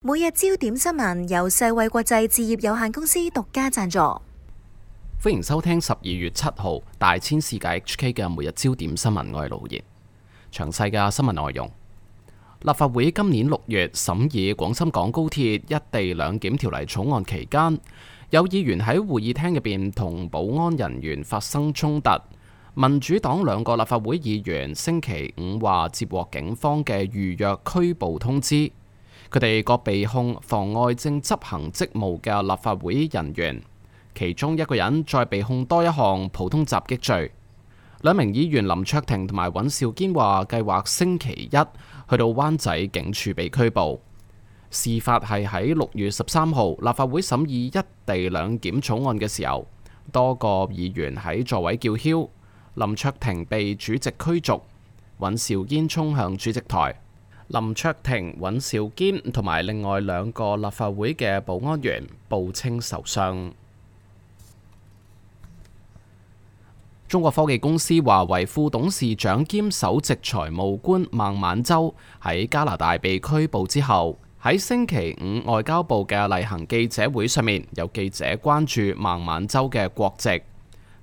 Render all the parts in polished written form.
每日焦點新聞由世衛國際置業有限公司獨家贊助。歡迎收聽12月7號大千世界 HK 嘅每日焦點新聞，我係盧賢。詳細嘅新聞內容，立法會今年6月審議廣深港高鐵一地兩檢條例草案期間，有議員喺會議廳入邊同保安人員發生衝突。民主黨2個立法會議員星期五話接獲警方嘅預約拘捕通知，佢哋各被控妨礙正執行職務嘅立法會人員，其中一個人再被控多一項普通襲擊罪。2名議員林卓廷同埋尹兆堅話計劃星期一去到灣仔警署被拘捕。事發係喺6月13號立法會審議一地兩檢草案嘅時候，多個議員喺座位叫囂，林卓廷被主席驅逐，尹兆堅衝向主席台。林卓廷、尹兆堅同埋另外2個立法會嘅保安員報稱受傷。中國科技公司華為副董事長兼首席財務官孟晚舟喺加拿大被拘捕之後，喺星期五外交部嘅例行記者會上面，有記者關注孟晚舟嘅國籍。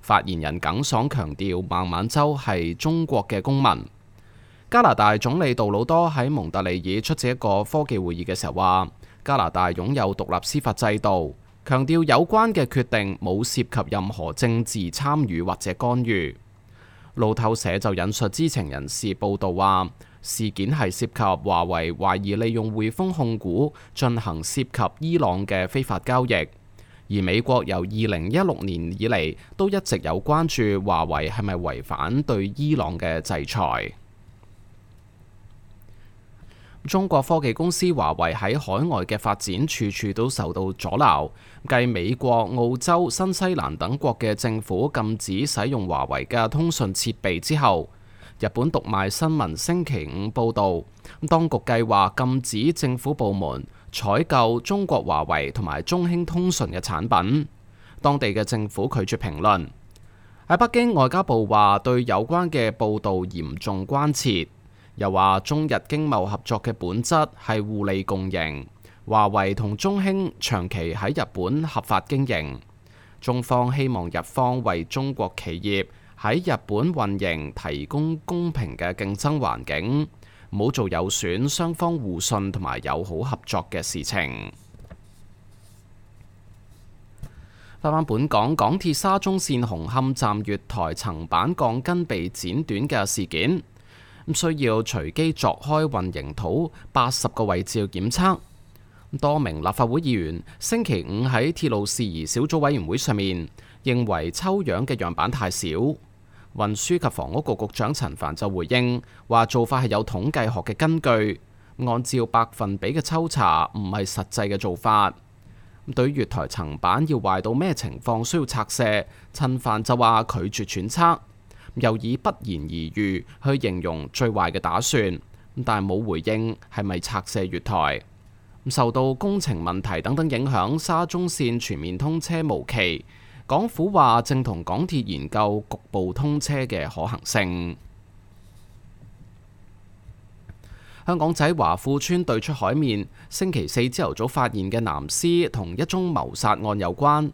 發言人耿爽強調孟晚舟係中國嘅公民。加拿大總理杜魯多喺蒙特利爾出席一個科技會議嘅時候話，加拿大擁有獨立司法制度，強調有關嘅決定冇涉及任何政治參與或者干預。路透社就引述知情人士報道話，事件係涉及華為懷疑利用匯豐控股進行涉及伊朗嘅非法交易，而美國由2016年以嚟都一直有關注華為係咪違反對伊朗嘅制裁。中國科技公司華為喺海外嘅發展處處都受到阻撓，繼美國、澳洲、新西蘭等國嘅政府禁止使用華為嘅通訊設備之後，日本讀賣新聞星期五報道，當局計劃禁止政府部門採購中國華為同埋中興通訊嘅產品。當地嘅政府拒絕評論。喺北京，外交部話對有關嘅報道嚴重關切。又話中日經貿合作嘅本質係互利共贏，華為同中興長期喺日本合法經營，中方希望日方為中國企業喺日本運營提供公平嘅競爭環境，唔好做有損雙方互信同埋友好合作嘅事情。翻本港，港鐵沙中線紅磡站月台層板鋼筋被剪短嘅事件，需要隨機鑿開混凝土80個位置檢測。多名立法會議員星期五喺鐵路事宜小組委員會上面認為抽樣嘅樣板太少。運輸及房屋局局長陳帆就回應話，做法係有統計學嘅根據，按照百分比嘅抽查唔係實際嘅做法。對於月台層板要壞到咩情況需要拆卸，陳帆就話拒絕揣測，又以不言而喻去形容最壞嘅打算，但冇回應係咪拆卸月台。受到工程問題等等影響，沙中線全面通車無期。港府話正同港鐵研究局部通車嘅可行性。香港仔華富村對出海面星期4朝頭早發現嘅男屍同一宗謀殺案有關，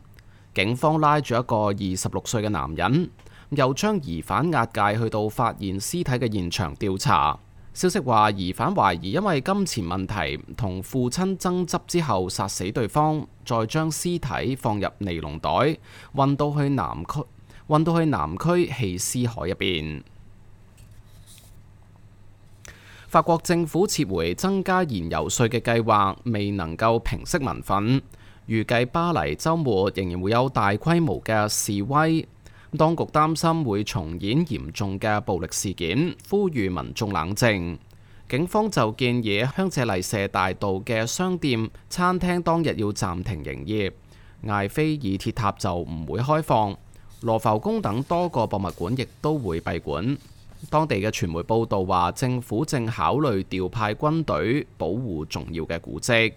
警方拉住一個26歲嘅男人，又將疑犯押解去到發現屍體嘅現場調查。消息話，疑犯懷疑因為金錢問題同父親爭執之後殺死對方，再將屍體放入尼龍袋，運到去南區棄屍海入邊。法國政府撤回增加燃油稅嘅計劃，未能夠平息民憤，預計巴黎週末仍然會有大規模嘅示威。當局擔心會重演嚴重嘅暴力事件，呼籲民眾冷靜。警方就建議香榭麗舍大道嘅商店、餐廳當日要暫停營業，艾菲爾鐵塔就唔會開放，羅浮宮等多個博物館亦都會閉館。當地嘅傳媒報道話，政府正考慮調派軍隊保護重要嘅古蹟。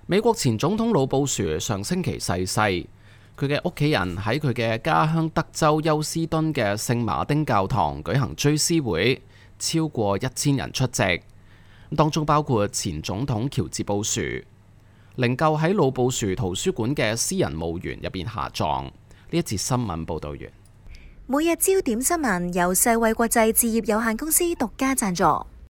美國前總統老布殊上星期逝世，佢嘅屋企人喺佢嘅家鄉德州休斯敦嘅聖馬丁教堂舉行追思會，超過1000人出席。當中包括前總統喬治布殊，靈柩喺老布殊圖書館嘅私人墓園入邊下葬。呢一節新聞報道完。每日焦點新聞由世衛國際置業有限公司獨家贊助。